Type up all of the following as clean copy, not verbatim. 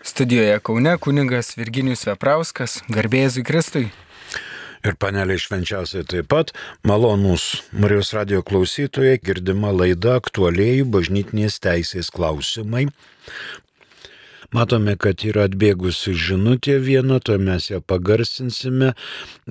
Studijoje Kaune kunigas Virginijus Veprauskas, garbė Jėzui Kristui. Ir paneliai švenčiausiai taip pat, malonūs Marijos radijo klausytojai, girdima laida aktualieji bažnytinės teisės klausimai. Matome, kad yra atbėgusi žinutė viena, to mes ją pagarsinsime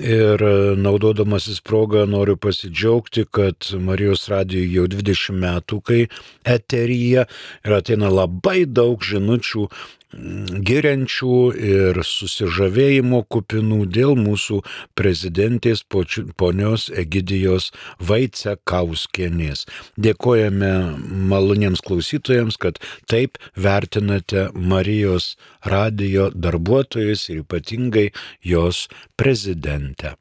ir naudodamasis progą noriu pasidžiaugti, kad Marijos radijo jau 20 metų, kai eteryje ir ateina labai daug žinučių giriančių ir susižavėjimo kupinų dėl mūsų prezidentės ponios Egidijos Vaicekauskienės. Dėkojame maloniems klausytojams, kad taip vertinate Marijos radijo darbuotojus ir ypatingai jos prezidentę.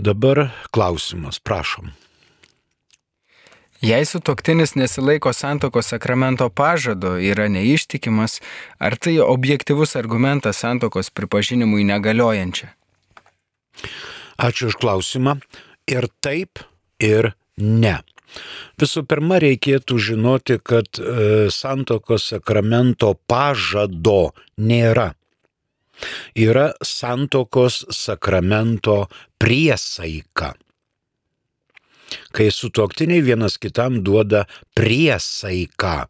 Dabar klausimas, prašom. Jei sutuoktinis nesilaiko santuokos sakramento pažado, yra neištikimas, ar tai objektyvus argumentas santuokos pripažinimui negaliojančia? Ačiū už klausimą. Ir taip, ir ne. Visų pirma, reikėtų žinoti, kad santuokos sakramento pažado nėra. Yra santuokos sakramento priesaika. Kai sutuoktiniai vienas kitam duoda priesaiką.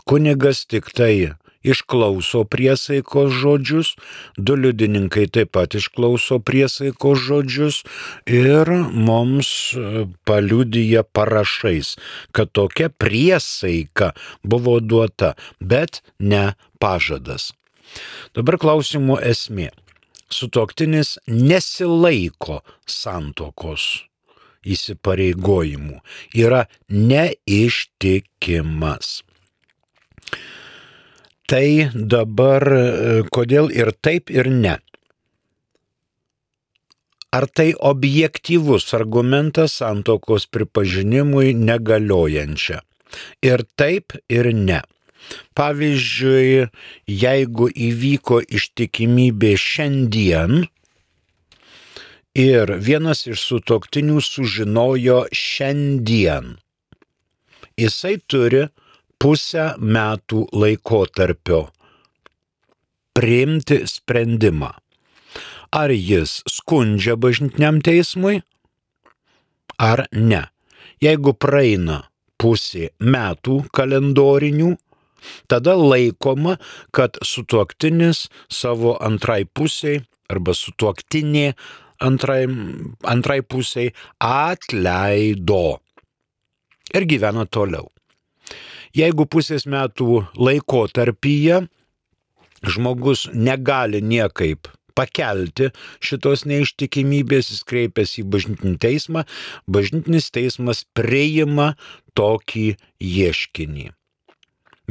Kunigas tik tai išklauso priesaikos žodžius, du liudininkai taip pat išklauso priesaikos žodžius ir mums paliudija parašais, kad tokia priesaika buvo duota, bet ne pažadas. Dabar klausimo esmė. Sutuoktinis nesilaiko santuokos įsipareigojimų, yra neištikimas. Tai dabar kodėl ir taip, ir ne? Ar tai objektyvus argumentas santuokos pripažinimui negaliojančia? Ir taip, ir ne. Pavyzdžiui, jeigu įvyko ištikimybė šiandien, ir vienas iš sutuoktinių sužinojo šiandien, jisai turi pusę metų laikotarpio priimti sprendimą. Ar jis skundžia bažnytiniam teismui, ar ne. Jeigu praeina pusė metų kalendorinių, tada laikoma, kad sutuoktinis savo antrai pusiai arba sutuoktinė antrai pusiai atleido ir gyvena toliau. Jeigu pusės metų laikotarpyje žmogus negali niekaip pakelti šitos neištikimybės, jis kreipiasi į bažnytinį teismą, bažnytinis teismas priima tokį ieškinį,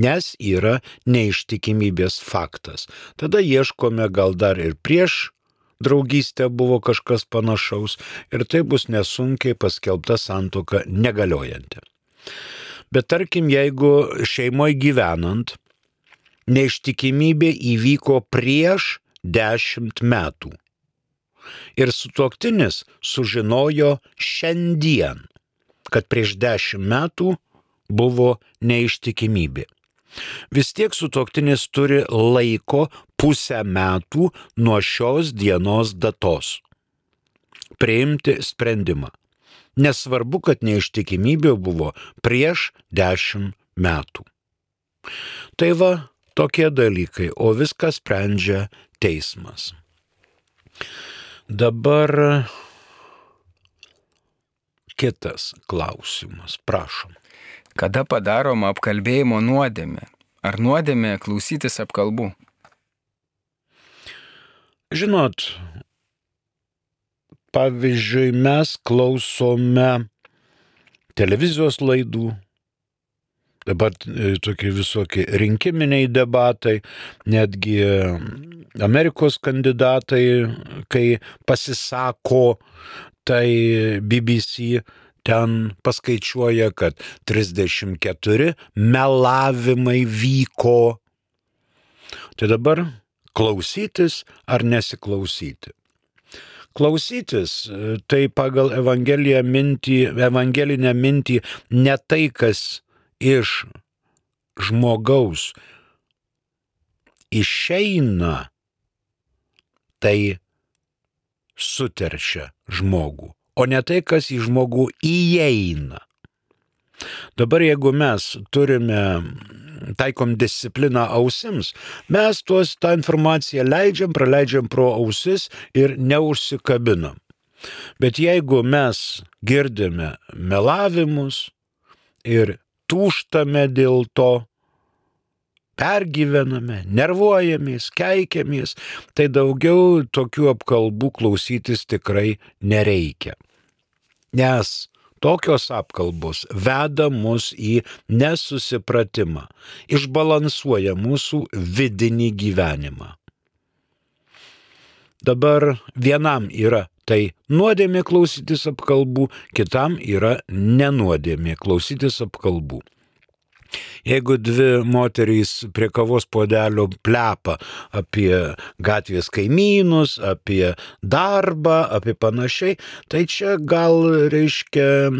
nes yra neištikimybės faktas. Tada ieškome gal dar ir prieš draugystę buvo kažkas panašaus ir tai bus nesunkiai paskelbta santuoka negaliojanti. Bet tarkim, jeigu šeimoje gyvenant, neištikimybė įvyko prieš 10 metų ir sutuoktinis sužinojo šiandien, kad prieš 10 metų buvo neištikimybė. Vis tiek sutuoktinis turi laiko pusę metų nuo šios dienos datos priimti sprendimą. Nesvarbu, kad neištikimybė buvo prieš 10 metų. Tai va, tokie dalykai, o viską sprendžia teismas. Dabar kitas klausimas, prašom. Kada padaroma apkalbėjimo nuodėmė? Ar nuodėmė klausytis apkalbų? Žinot, pavyzdžiui, mes klausome televizijos laidų, dabar tokie visokie rinkiminiai debatai, netgi Amerikos kandidatai, kai pasisako, tai BBC ten paskaičiuoja, kad 34 melavimai vyko. Tai dabar klausytis ar nesiklausyti? Klausytis, tai pagal evangelinę mintį ne tai, kas iš žmogaus išeina, tai suteršia žmogų, o ne tai, kas į žmogų įeina. Dabar jeigu mes taikom discipliną ausims, mes tą informaciją praleidžiam pro ausis ir neužsikabinam. Bet jeigu mes girdime melavimus ir tūžtame dėl to, pergyvename, nervuojamės, keikiamės, tai daugiau tokių apkalbų klausytis tikrai nereikia. Nes tokios apkalbos veda mus į nesusipratimą, išbalansuoja mūsų vidinį gyvenimą. Dabar vienam yra tai nuodėmė klausytis apkalbų, kitam yra nenuodėmė klausytis apkalbų. Jeigu dvi moterys prie kavos puodelio plepa apie gatvės kaimynus, apie darbą, apie panašiai, tai čia gal reiškia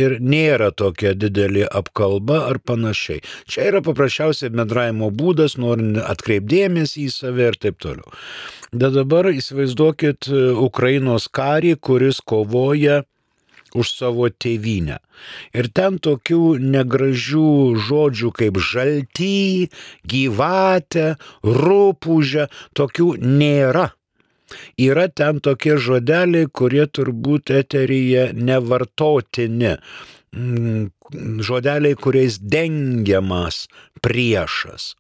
ir nėra tokia didelė apkalba ar panašiai. Čia yra paprasčiausiai bendravimo būdas, norint atkreipdėmėsi į save ir taip toliau. Bet dabar įsivaizduokit Ukrainos karį, kuris kovoja už savo tėvynę. Ir ten tokių negražių žodžių kaip žalty, gyvatė, rupūžė, tokių nėra. Yra ten tokie žodeliai, kurie turbūt eteryje nevartotini. Žodeliai, kuriais dengiamas priešas.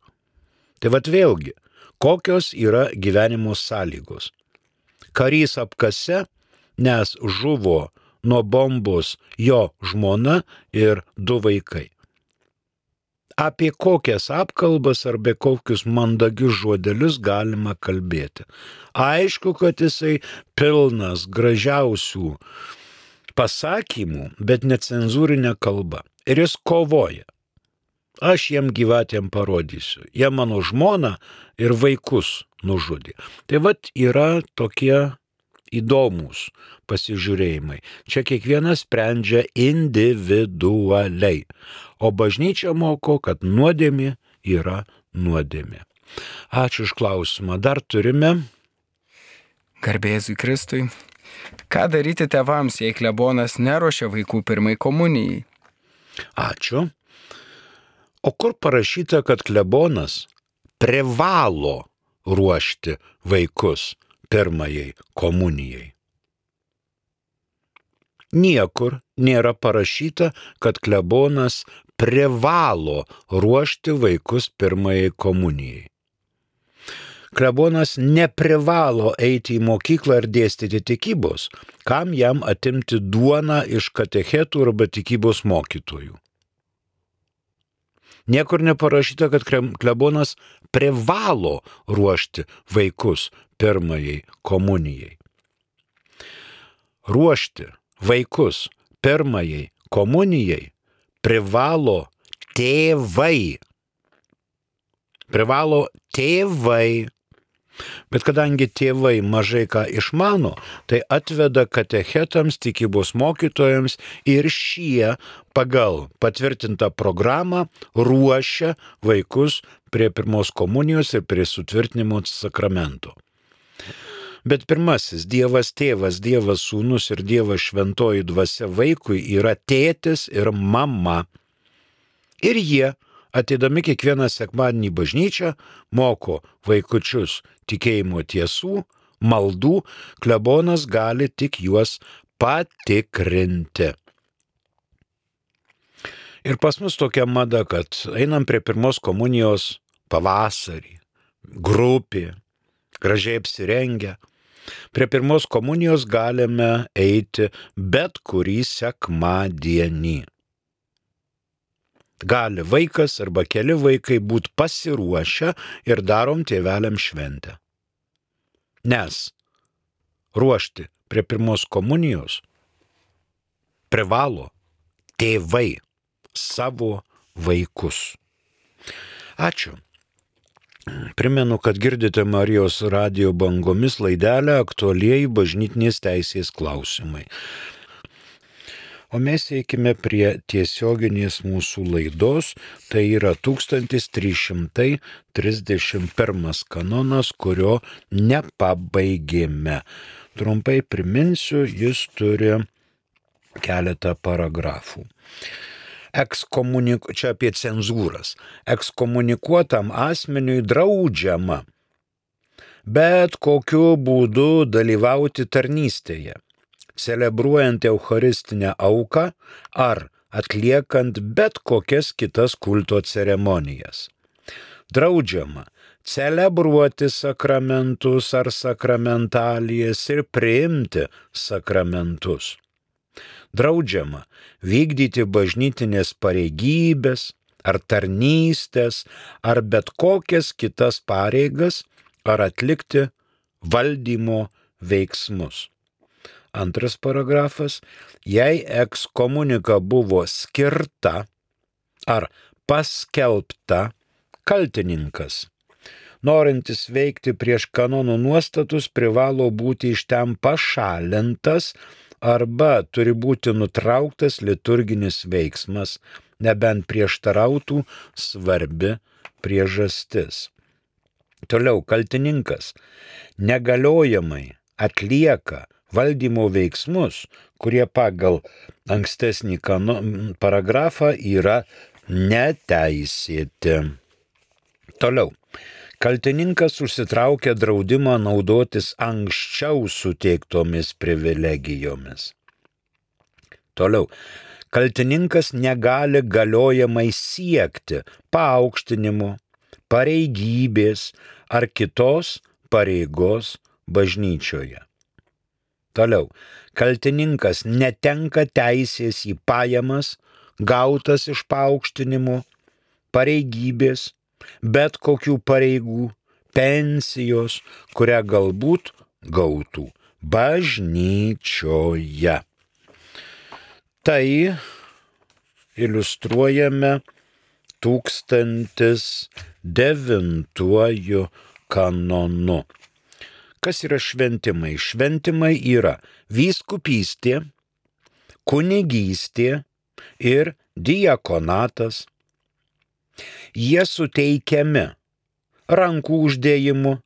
Tai vat vėlgi, kokios yra gyvenimo sąlygos. Karys apkase, nes žuvo nuo bombos jo žmona ir 2 vaikai. Apie kokias apkalbas arba kokius mandagius žodelius galima kalbėti. Aišku, kad jisai pilnas gražiausių pasakymų, bet necenzūrinė kalba. Ir jis kovoja. Aš jiem gyvatėm parodysiu. Jie mano žmoną ir vaikus nužudė. Tai vat yra tokie įdomus pasižiūrėjimai. Čia kiekvienas sprendžia individualiai. O bažnyčia moko, kad nuodėmė yra nuodėmė. Ačiū už klausimą. Dar turime. Garbė Jėzui Kristui. Ką daryti tėvams, jei klebonas neruošia vaikų pirmai komunijai? Ačiū. O kur parašyta, kad klebonas privalo ruošti vaikus pirmajai komunijai? Niekur nėra parašyta, kad klebonas privalo ruošti vaikus pirmajai komunijai. Klebonas neprivalo eiti į mokyklą ir dėstyti tikybos, kam jam atimti duoną iš katechetų arba tikybos mokytojų. Niekur neparašyta, kad klebonas privalo ruošti vaikus pirmajai komunijai. Ruošti vaikus pirmajai komunijai privalo tėvai. Privalo tėvai. Bet kadangi tėvai mažai ką išmano, tai atveda katechetams, tikybos mokytojams ir šie pagal patvirtintą programą ruošia vaikus prie pirmos komunijos ir prie sutvirtinimo sakramento. Bet pirmasis Dievas tėvas, Dievas sūnus ir Dievas šventoji dvasia vaikui yra tėtis ir mama. Ir jie, ateidami kiekvieną sekmadienį į bažnyčią, moko vaikučius tikėjimo tiesų, maldų, klebonas gali tik juos patikrinti. Ir pas mus tokia mada, kad einam prie pirmos komunijos pavasarį, grupė, gražiai apsirengę. Prie pirmos komunijos galime eiti bet kurį sekmadienį. Gali vaikas arba keli vaikai būti pasiruošę ir darom tėveliam šventę. Nes ruošti prie pirmos komunijos privalo tėvai savo vaikus. Ačiū. Primenu, kad girdite Marijos radijo bangomis laidelę aktualieji bažnytinės teisės klausimai. O mes eikime prie tiesioginės mūsų laidos, tai yra 1331 kanonas, kurio nepabaigėme. Trumpai priminsiu, jis turi keletą paragrafų. Čia apie cenzūras. Ekskomunikuotam asmeniui draudžiama bet kokiu būdu dalyvauti tarnystėje, celebruojant eucharistinę auką ar atliekant bet kokias kitas kulto ceremonijas. Draudžiama celebruoti sakramentus ar sakramentalijas ir priimti sakramentus. Draudžiama vykdyti bažnytinės pareigybės ar tarnystės ar bet kokias kitas pareigas ar atlikti valdymo veiksmus. Antras paragrafas. Jei ekskomunika buvo skirta ar paskelbta, kaltininkas, norintis veikti prieš kanonų nuostatus, privalo būti iš ten pašalintas arba turi būti nutrauktas liturginis veiksmas, nebent prieštarautų svarbi priežastis. Toliau, kaltininkas negaliojamai atlieka valdymo veiksmus, kurie pagal ankstesnį paragrafą yra neteisėti. Toliau, kaltininkas užsitraukia draudimą naudotis anksčiau suteiktomis privilegijomis. Toliau, kaltininkas negali galiojamai siekti paaukštinimo, pareigybės ar kitos pareigos bažnyčioje. Toliau, kaltininkas netenka teisės į pajamas, gautas iš paaukštinimo, pareigybės, bet kokių pareigų, pensijos, kurią galbūt gautų bažnyčioje. Tai iliustruojame 1009 kanonu. Kas yra šventimai? Šventimai yra vyskupystė, kunigystė ir diakonatas. Jie suteikiami rankų uždėjimu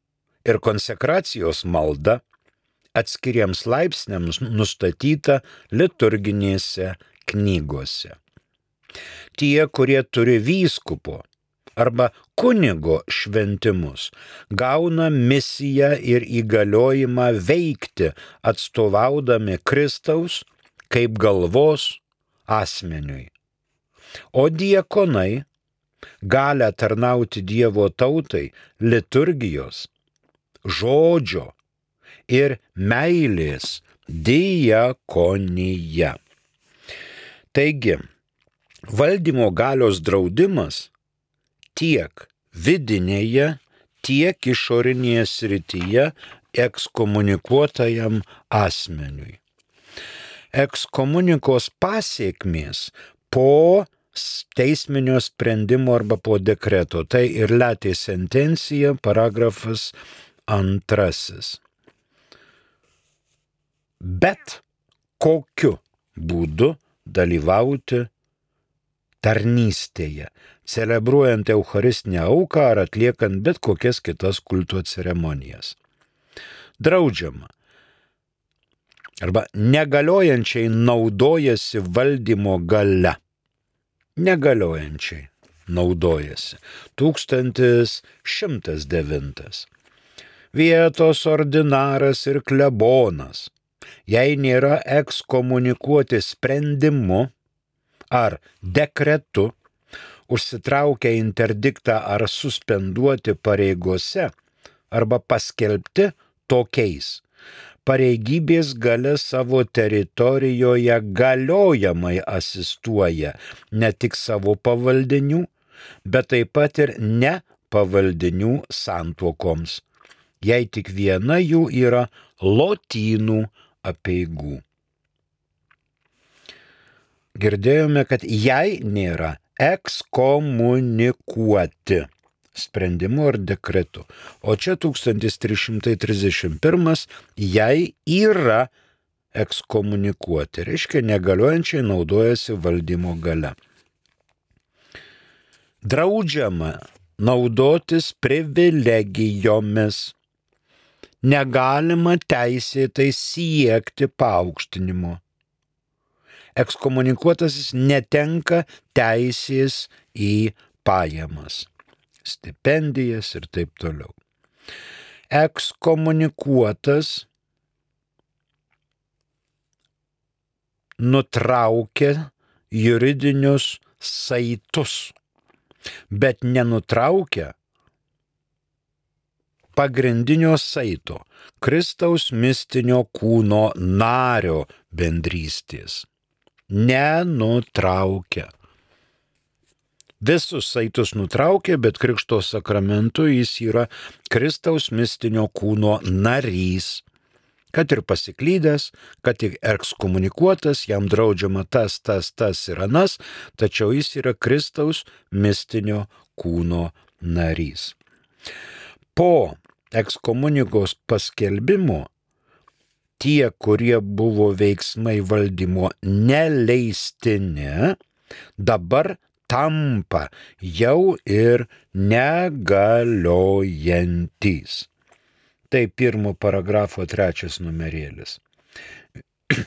ir konsekracijos malda atskiriems laipsniams nustatyta liturginėse knygose. Tie, kurie turi vyskupo arba kunigo šventimus, gauna misiją ir įgaliojimą veikti, atstovaudami Kristaus kaip galvos asmeniui. O diakonai gali tarnauti Dievo tautai liturgijos, žodžio ir meilės diakonija. Taigi, valdymo galios draudimas tiek vidinėje, tiek išorinėje srityje ekskomunikuotajam asmeniui. Ekskomunikos pasiekmės po teisminio sprendimo arba po dekreto. Tai ir letė sentencija, paragrafas 2. Bet kokiu būdu dalyvauti tarnystėje, celebruojant eucharistinę auką ar atliekant bet kokias kitas kulto ceremonijas. Draudžiama arba negaliojančiai naudojasi valdymo galia. Negaliojančiai naudojasi. 1109. Vietos ordinaras ir klebonas, jei nėra ekskomunikuoti sprendimu ar dekretu, užsitraukia interdiktą ar suspenduoti pareigose arba paskelbti tokiais. Pareigybės galia savo teritorijoje galiojamai asistuoja ne tik savo pavaldinių, bet taip pat ir nepavaldinių santuokoms, jei tik viena jų yra lotynų apeigų. Girdėjome, kad jei nėra ekskomunikuoti sprendimu ar dekretu, o čia 1331, jei yra ekskomunikuoti. Reiškia, negaliojančiai naudojasi valdymo gale. Draudžiama naudotis privilegijomis. Negalima teisėtai siekti paaukštinimo. Ekskomunikuotasis netenka teisės į pajamas, stipendijas ir taip toliau. Ekskomunikuotas nutraukia juridinius saitus, bet nenutraukia pagrindinio saito, Kristaus mistinio kūno nario bendrystės. Nenutraukia. Visus saitus nutraukia, bet Krikšto sakramentu jis yra Kristaus mistinio kūno narys. Kad ir pasiklydęs, kad ir ekskomunikuotas, jam draudžiama tas ir anas, tačiau jis yra Kristaus mistinio kūno narys. Po ekskomunikos paskelbimo tie, kurie buvo veiksmai valdymo neleistini, dabar tampa jau ir negaliojantys. Tai 1 paragrafo 3 numerėlis.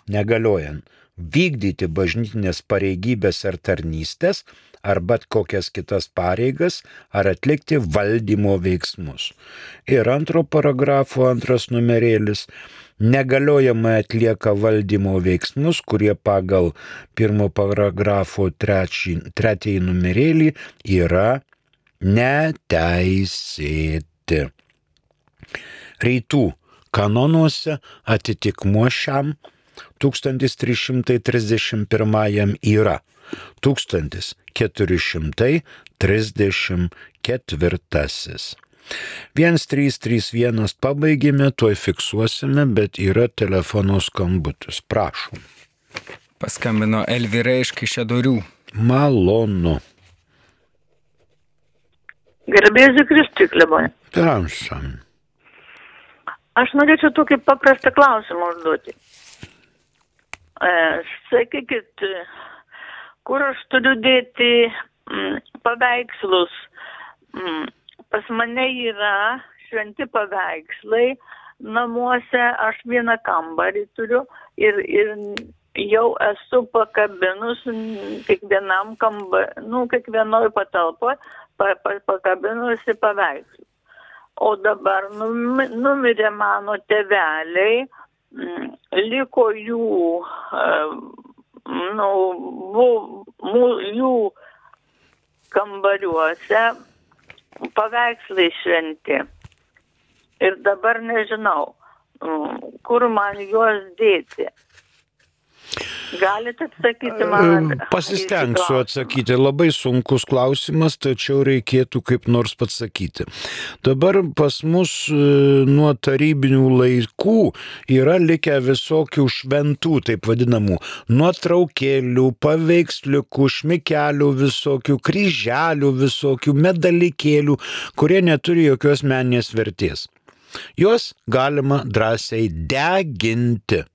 Negaliojant vykdyti bažnytinės pareigybės ar tarnystės, ar bet kokias kitas pareigas, ar atlikti valdymo veiksmus. Ir 2 paragrafo 2 numerėlis. Negaliojamai atlieka valdymo veiksmus, kurie pagal 1 paragrafo 3 numerėlį yra neteisėti. Rytų kanonuose atitikmuo šiam 1331 yra 1434. 1331 pabaigėme, tuoj fiksuosime, bet yra telefono skambutis. Prašom. Paskambino Elvyra iš Kaišiadorių. Malonu. Garbėsiu Kristui, klebone. Prašom. Aš norėčiau tokį paprastą klausimą užduoti. Sakykit, kur aš turiu dėti paveikslus? Pas mane yra šventi paveikslai namuose, aš vieną kambarį turiu ir jau esu pakabinus kiekvienam kiekvienoj patalpoje pakabinusi paveikslų. O dabar numirė mano tėveliai, liko jų kambariuose paveikslai šventi. Ir dabar nežinau, kur man juos dėti. Galite atsakyti man? Pasistengsiu atsakyti. Labai sunkus klausimas, tačiau reikėtų kaip nors pasakyti. Dabar pas mus nuo tarybinių laikų yra likę visokių šventų, taip vadinamų, nuotraukėlių, paveiksliukų, šmikelių visokių, kryželių visokių, medalikėlių, kurie neturi jokios meninės vertės. Juos galima drąsiai deginti.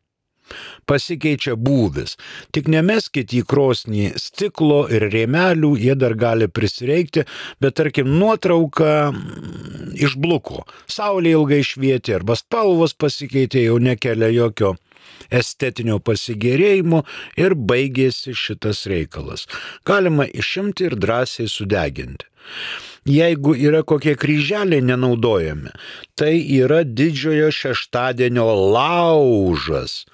Pasikeičia būvis. Tik nemeskit į krosnį stiklo ir rėmelių, jie dar gali prisireikti, bet tarkim nuotrauka išbluko. Saulė ilgai švietė arba spalvos pasikeitė, jau nekelia jokio estetinio pasigėrėjimo ir baigėsi šitas reikalas. Galima išimti ir drąsiai sudeginti. Jeigu yra kokie kryželiai nenaudojami, tai yra didžiojo šeštadienio laužas.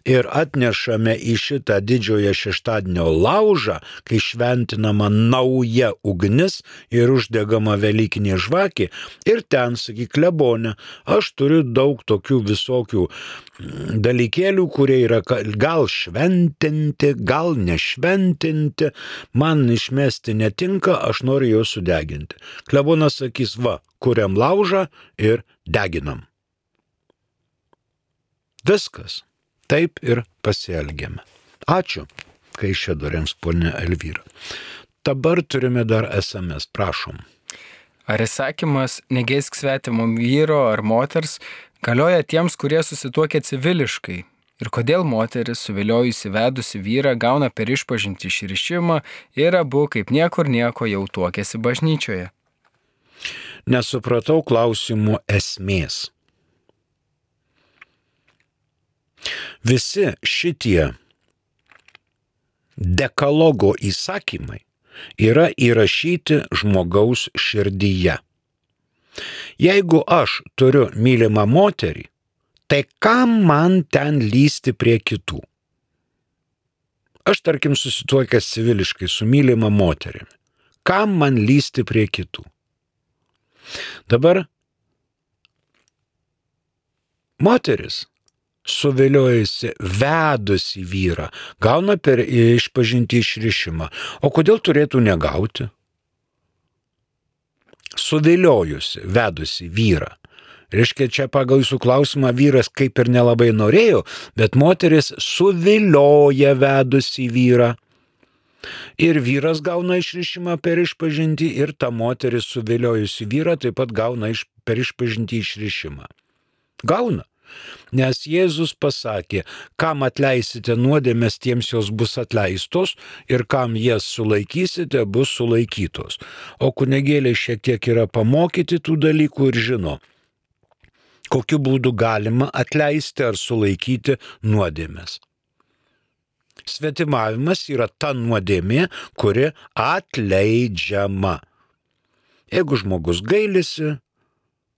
Ir atnešame į šitą didžiojo šeštadienio laužą, kai šventinama nauja ugnis ir uždegama velykinė žvakė. Ir ten, sakyk, klebone, aš turiu daug tokių visokių dalykėlių, kurie yra gal šventinti, gal nešventinti, man išmesti netinka, aš noriu juos sudeginti. Klebonas sakys, va, kuriam laužą ir deginam. Viskas. Taip ir pasielgėme. Ačiū, Kaišiadoriams, ponia Elvyra. Dabar turime dar SMS, prašom. Ar įsakymas negeisk svetimo vyro ar moters galioja tiems, kurie susituokia civiliškai? Ir kodėl moteris, suviliojusi vedusi vyrą, gauna per išpažintį išrišimą ir abu kaip niekur nieko jau tuokėsi bažnyčioje? Nesupratau klausimo esmės. Visi šitie dekalogo įsakymai yra įrašyti žmogaus širdyje. Jeigu aš turiu mylimą moterį, tai kam man ten lysti prie kitų? Aš, tarkim, susituokęs civiliškai su mylima moterimi. Kam man lysti prie kitų? Dabar moteris, suviliojusi vedusi vyrą, gauna per išpažintį išrišimą. O kodėl turėtų negauti? Suviliojusi, vedusi vyrą. Reiškia, čia pagal jūsų klausimą vyras kaip ir nelabai norėjo, bet moteris suvilioja vedusi vyrą. Ir vyras gauna išrišimą per išpažintį ir ta moteris suviliojusi vyrą taip pat gauna per išpažintį išrišimą. Gauna. Nes Jėzus pasakė, kam atleisite nuodėmes, tiems jos bus atleistos ir kam jas sulaikysite, bus sulaikytos. O kunigėliai šiek tiek yra pamokyti tų dalykų ir žino, kokiu būdu galima atleisti ar sulaikyti nuodėmes. Svetimavimas yra ta nuodėmė, kuri atleidžiama. Jeigu žmogus gailisi,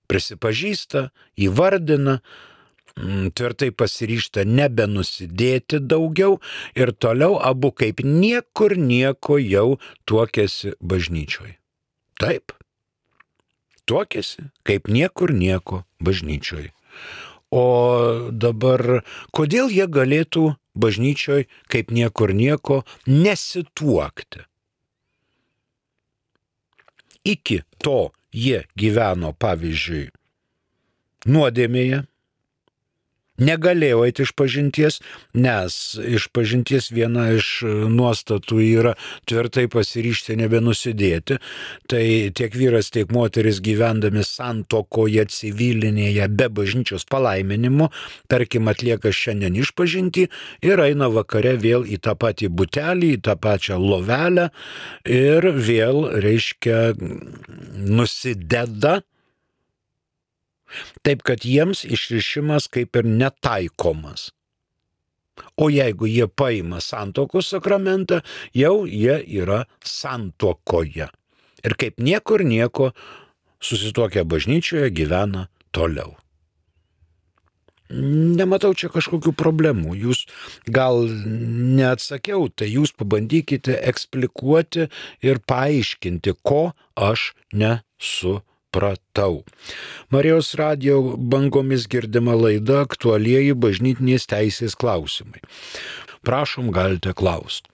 prisipažįsta, įvardina, tvirtai pasiryžta nebenusidėti daugiau ir toliau abu kaip niekur nieko jau tuokėsi bažnyčioje. Taip, tuokėsi kaip niekur nieko bažnyčioje. O dabar, kodėl jie galėtų bažnyčioje kaip niekur nieko nesituokti? Iki to jie gyveno, pavyzdžiui, nuodėmėje, negalėjo eiti išpažinties, nes išpažinties viena iš nuostatų yra tvirtai pasiryžti nebenusidėti. Tai tiek vyras, tiek moteris gyvendami santuokoje civilinėje be bažnyčios palaiminimo, tarkim, atlieka šiandien išpažintį ir eina vakare vėl į tą patį butelį, į tą pačią lovelę ir vėl, reiškia, nusideda. Taip, kad jiems išrišimas kaip ir netaikomas. O jeigu jie paima santuokos sakramentą, jau jie yra santuokoje. Ir kaip niekur nieko susituokę bažnyčioje gyvena toliau. Nematau čia kažkokių problemų. Jūs gal neatsakiau, tai jūs pabandykite eksplikuoti ir paaiškinti, ko aš nesupratau. Marijos radijo bangomis girdima laida Aktualieji bažnytinės teisės klausimai. Prašom, galite klausti.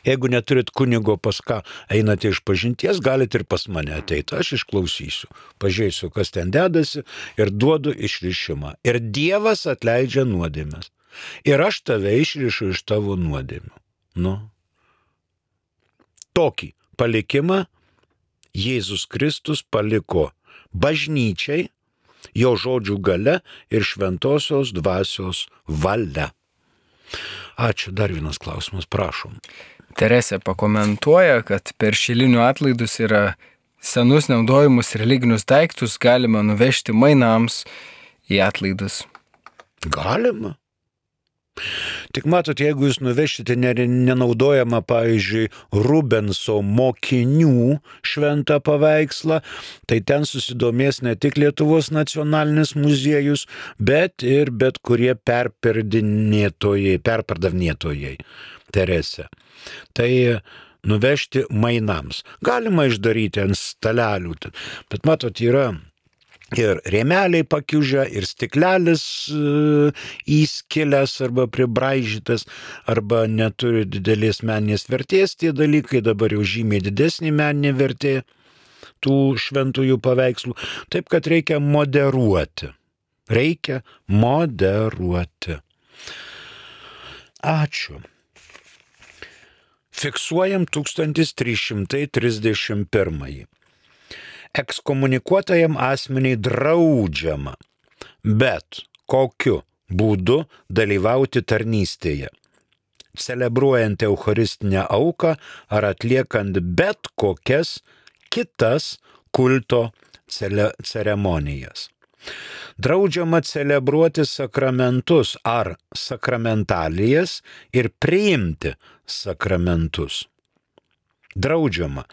Jeigu neturit kunigo, pas ką einate išpažinties, galite ir pas mane ateiti. Aš išklausysiu, pažiūrėsiu, kas ten dedasi ir duodu išrišimą. Ir Dievas atleidžia nuodėmes. Ir aš tave išrišu iš tavo nuodėmių. Tokį palikimą Jėzus Kristus paliko bažnyčiai, jo žodžių galia ir šventosios dvasios valia. Ačiū, dar vienas klausimas, prašom. Teresė pakomentuoja, kad per šilinių atlaidus yra senus naudojimus religinius daiktus galima nuvežti mainams į atlaidus. Galima. Tik matot, jeigu jūs nuvešite nenaudojamą, pavyzdžiui, Rubenso mokinių šventą paveikslą, tai ten susidomės ne tik Lietuvos nacionalinis muziejus, bet ir bet kurie perpardavinėtojai. Teresė. Tai nuvežti mainams. Galima išdaryti ant stalelių, bet matot, yra ir rėmeliai pakiužę, ir stiklelis įskilęs arba pribraižytas, arba neturi didelės meninės vertės tie dalykai, dabar jau žymiai didesnė meninė vertė tų šventųjų paveikslų. Taip, kad reikia moderuoti. Ačiū. Fiksuojam 1331. Ekskomunikuotajam asmeniai draudžiama, bet kokiu būdu dalyvauti tarnystėje, celebruojant eucharistinę auką ar atliekant bet kokias kitas kulto ceremonijas. Draudžiama celebruoti sakramentus ar sakramentalijas ir priimti sakramentus. Draudžiama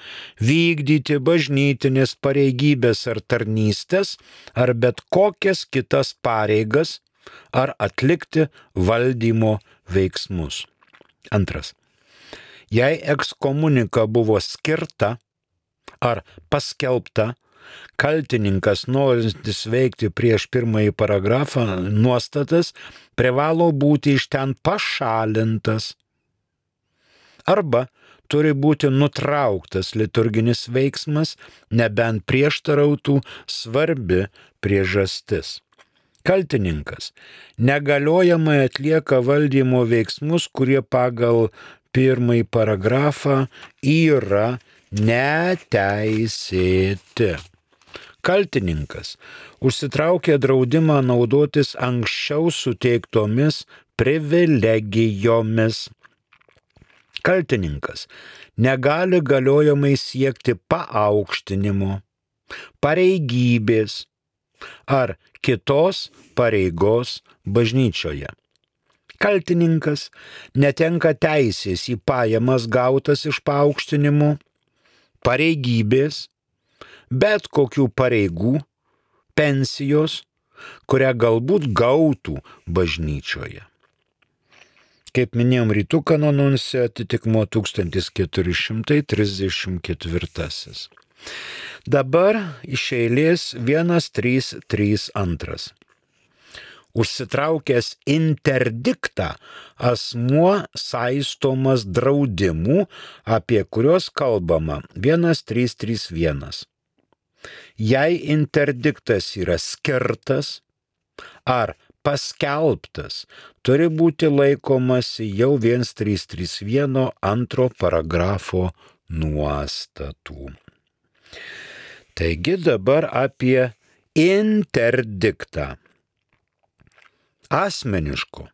vykdyti bažnytinės pareigybės ar tarnystės ar bet kokias kitas pareigas ar atlikti valdymo veiksmus. Antras. Jei ekskomunika buvo skirta ar paskelbta, kaltininkas, norintis veikti prieš pirmąjį paragrafą nuostatas, privalo būti iš ten pašalintas arba turi būti nutrauktas liturginis veiksmas, nebent prieštarautų svarbi priežastis. Kaltininkas negaliojamai atlieka valdymo veiksmus, kurie pagal pirmąjį paragrafą yra neteisėti. Kaltininkas užsitraukė draudimą naudotis anksčiau suteiktomis privilegijomis. Kaltininkas negali galiojamai siekti paaukštinimo, pareigybės ar kitos pareigos bažnyčioje. Kaltininkas netenka teisės į pajamas gautas iš paaukštinimo, pareigybės, bet kokių pareigų, pensijos, kurią galbūt gautų bažnyčioje. Kaip minėjom, rytų kanonuose atitikmuo 1434. Dabar iš eilės 1332. Užsitraukęs interdiktą asmuo saistomas draudimų, apie kuriuos kalbama 1331. Jei interdiktas yra skirtas ar paskelbtas, turi būti laikomasi jau 1331 antro paragrafo nuostatų. Taigi dabar apie interdiktą. Asmeniško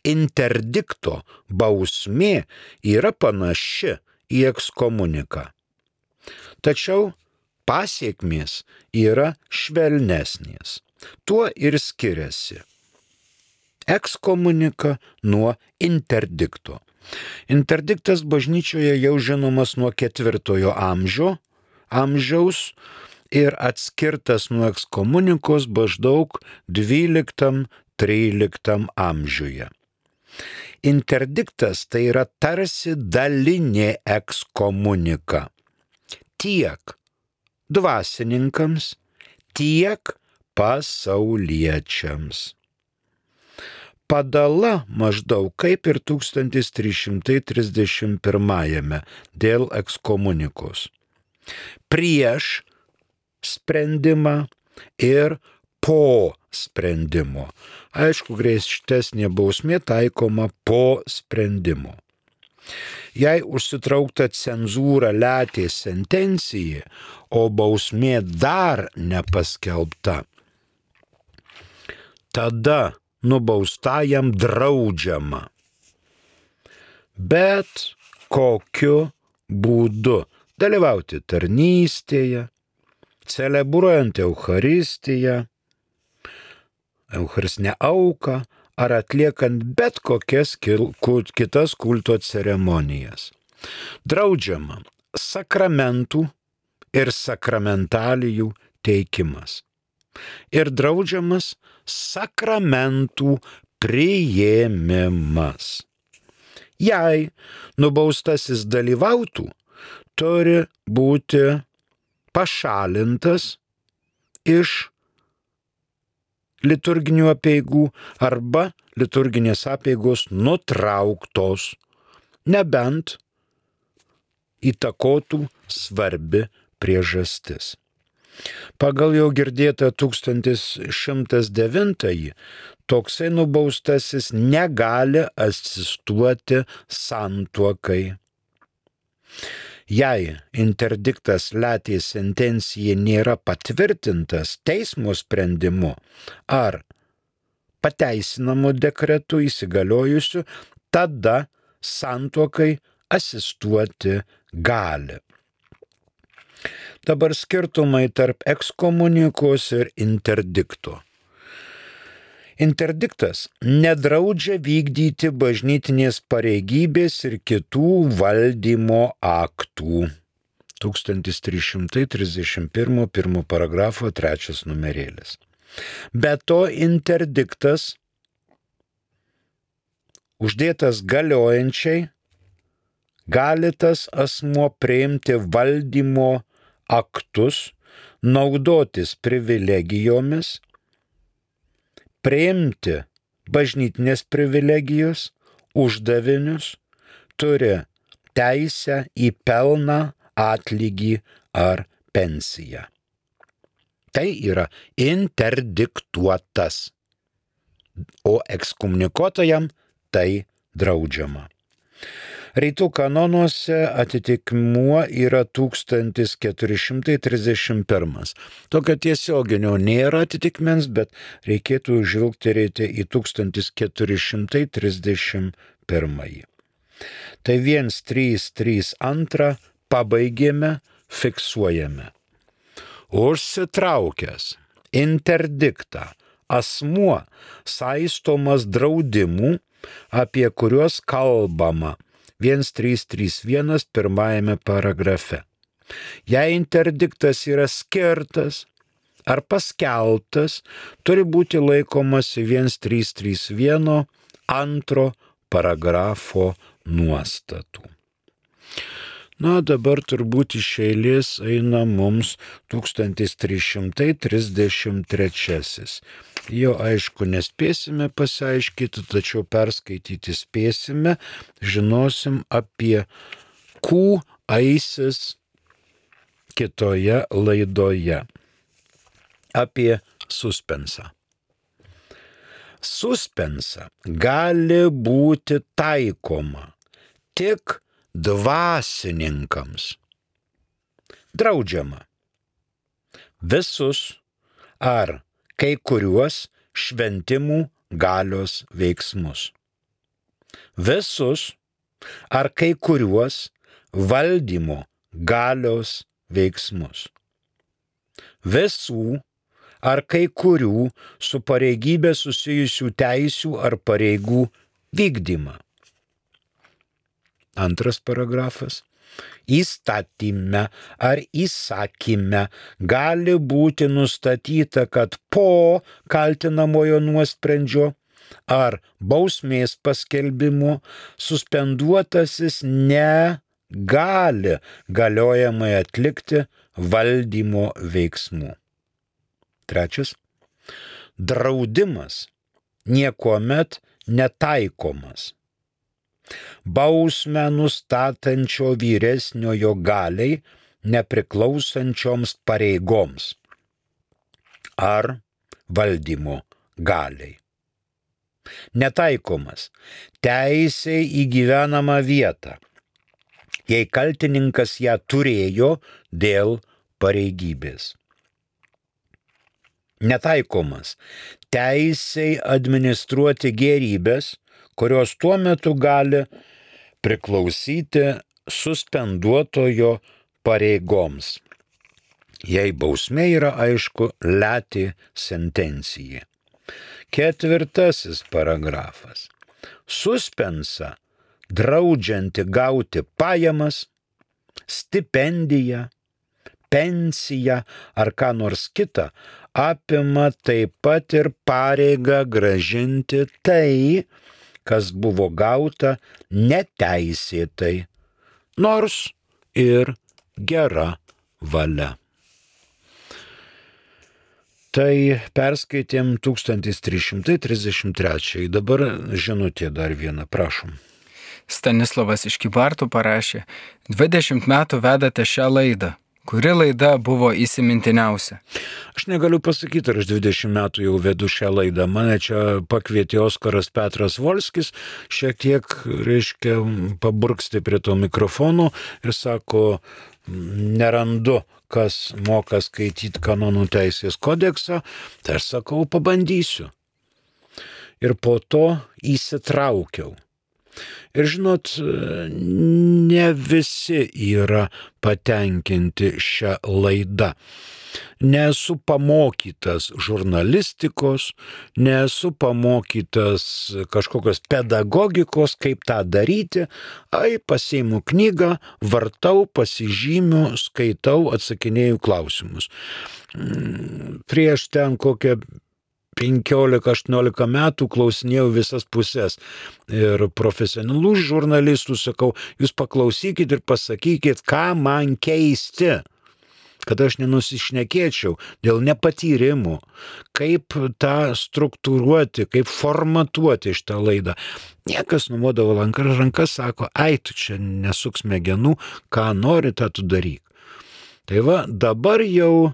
interdikto bausmė yra panaši į ekskomuniką. Tačiau pasiekmės yra švelnesnės. Tuo ir skiriasi ekskomunika nuo interdikto. Interdiktas bažnyčioje jau žinomas nuo 4 amžiaus ir atskirtas nuo ekskomunikos maždaug 12-13 amžiuje. Interdiktas tai yra tarsi dalinė ekskomunika tiek dvasininkams, tiek pasauliečiams. Padala maždaug kaip ir 1331 dėl ekskomunikos. Prieš sprendimą ir po sprendimo. Aišku, griežtesnė bausmė taikoma po sprendimo. Jei užsitraukta cenzūra letė sentencija, o bausmė dar nepaskelbta, tada nubaustajam draudžiama. Bet kokiu būdu dalyvauti tarnystėje, celebruojant Eucharistiją, Eucharistinę auką ar atliekant bet kokias kitas kulto ceremonijas. Draudžiama sakramentų ir sakramentalijų teikimas. Ir draudžiamas sakramentų priėmimas. Jei nubaustasis dalyvautų, turi būti pašalintas iš liturginių apeigų arba liturginės apeigos nutrauktos, nebent įtakotų svarbi priežastis. Pagal jau girdėtą 1109 toksai nubaustasis negali asistuoti santuokai. Jei interdiktas letė sentencija nėra patvirtintas teismo sprendimu ar pateisinamu dekretu įsigaliojusiu, tada santuokai asistuoti gali. Dabar skirtumai tarp ekskomunikos ir interdikto. Interdiktas nedraudžia vykdyti bažnytinės pareigybės ir kitų valdymo aktų. 1331 pirmo paragrafo 3 numerėlis. Be to interdiktas uždėtas galiojančiai gali tas asmuo priimti valdymo aktus, naudotis privilegijomis, priimti bažnytinės privilegijos, uždavinius, turi teisę į pelną, atlygį ar pensiją. Tai yra interdiktuotas, o ekskomunikuotojam tai draudžiama. Rytų kanonuose atitikmuo yra 1431. Tokio tiesioginio nėra atitikmens, bet reikėtų žvilgterėti į 1431. Tai 1332 pabaigėme, fiksuojame. Užsitraukęs interdiktą asmuo saistomas draudimų, apie kuriuos kalbama 1331 pirmajame paragrafe. Jei interdiktas yra skirtas ar paskelbtas, turi būti laikomasi 1331 antro paragrafo nuostatų. Na, dabar turbūt iš eilės eina mums 1333. Jo aišku nespėsime pasiaiškyti, tačiau perskaityti spėsime, žinosim apie Q aisis kitoje laidoje. Apie suspensą. Suspensa gali būti taikoma tik dvasininkams. Draudžiama visus ar kai kuriuos šventimų galios veiksmus. Visus ar kai kuriuos valdymo galios veiksmus. Visų ar kai kurių su pareigybė susijusių teisių ar pareigų vykdymą. Antras paragrafas. Įstatyme ar įsakyme gali būti nustatyta, kad po kaltinamojo nuosprendžio ar bausmės paskelbimo suspenduotasis negali galiojamai atlikti valdymo veiksmų. Trečias. Draudimas niekuomet netaikomas. Bausmę nustatančio vyresniojo galiai nepriklausančioms pareigoms ar valdymo galiai. Netaikomas teisė į gyvenamą vietą, jei kaltininkas ją turėjo dėl pareigybės. Netaikomas teisei administruoti gėrybės, kurios tuo metu gali priklausyti suspenduotojo pareigoms. Jei bausmė yra aišku leti sentencija. Ketvirtasis paragrafas. Suspensa draudžianti gauti pajamas, stipendiją, pensiją ar ką nors kitą, apima taip pat ir pareigą gražinti tai, kas buvo gauta neteisėtai, nors ir gera valia. Tai perskaitėm 1333. Dabar žinutė dar viena, prašom. Stanislavas iš Kybartų parašė: 20 metų vedate šią laidą. Kuri laida buvo įsimintiniausia? Aš negaliu pasakyti, ar aš 20 metų jau vedu šią laidą. Mane čia pakvietė Oskaras Petras Volskis, šiek tiek, paburksti prie to mikrofono ir sako, nerandu, kas moka skaityti kanonų teisės kodeksą. Tai aš sakau, pabandysiu. ir po to įsitraukiau. Ir žinot, ne visi yra patenkinti šią laidą. Nesu pamokytas žurnalistikos, nesu pamokytas kažkokios pedagogikos, kaip tą daryti. Pasiimu knygą, vartau, pasižymiu, skaitau, atsakinėju klausimus. Prieš ten kokią 15-18 metų klausinėjau visas pusės. Ir profesionalų žurnalistų sakau, jūs paklausykit ir pasakykit, ką man keisti, kad aš nenusišnekėčiau dėl nepatyrimų, kaip tą struktūruoti, kaip formatuoti šitą laidą. Niekas numodavo rankas, sako, tu čia nesuk smegenų, ką nori, tą tu daryk. Tai va, dabar jau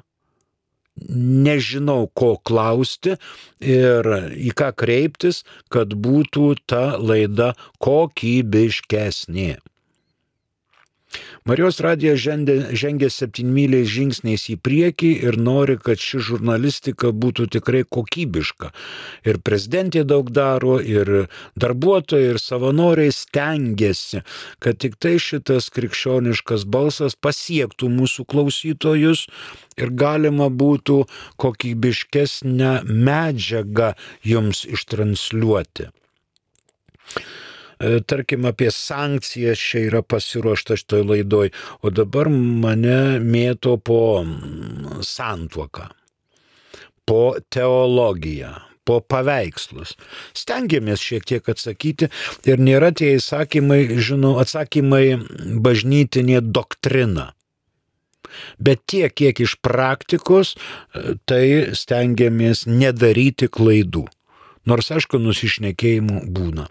nežinau, ko klausti ir į ką kreiptis, kad būtų ta laida kokybiškesnė. Marijos radijas žengia 7 žingsniais į priekį ir nori, kad ši žurnalistika būtų tikrai kokybiška. Ir prezidentė daug daro, ir darbuotojai, ir savanoriai stengiasi, kad tik tai šitas krikščioniškas balsas pasiektų mūsų klausytojus ir galima būtų kokybiškesnę medžiagą jums ištransliuoti. Tarkim, apie sankcijas čia yra pasiruošta šitoj laidoj, o dabar mane mėto po santuoką, po teologiją, po paveikslus. Stengiamės šiek tiek atsakyti ir nėra tie atsakymai bažnytinė doktrina. Bet tiek, kiek iš praktikos, tai stengiamės nedaryti klaidų. Nors, aišku, nusišnekėjimų būna.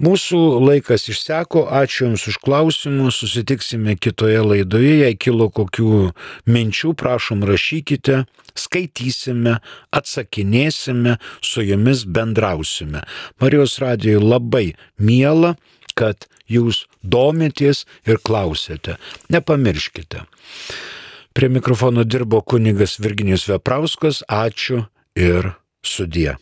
Mūsų laikas išseko, ačiū Jums už klausimus, susitiksime kitoje laidoje, jei kilo kokių minčių, prašom rašykite, skaitysime, atsakinėsime, su Jumis bendrausime. Marijos radijui labai miela, kad Jūs domitės ir klausėte. Nepamirškite. Prie mikrofono dirbo kunigas Virginijus Veprauskas, ačiū ir sudie.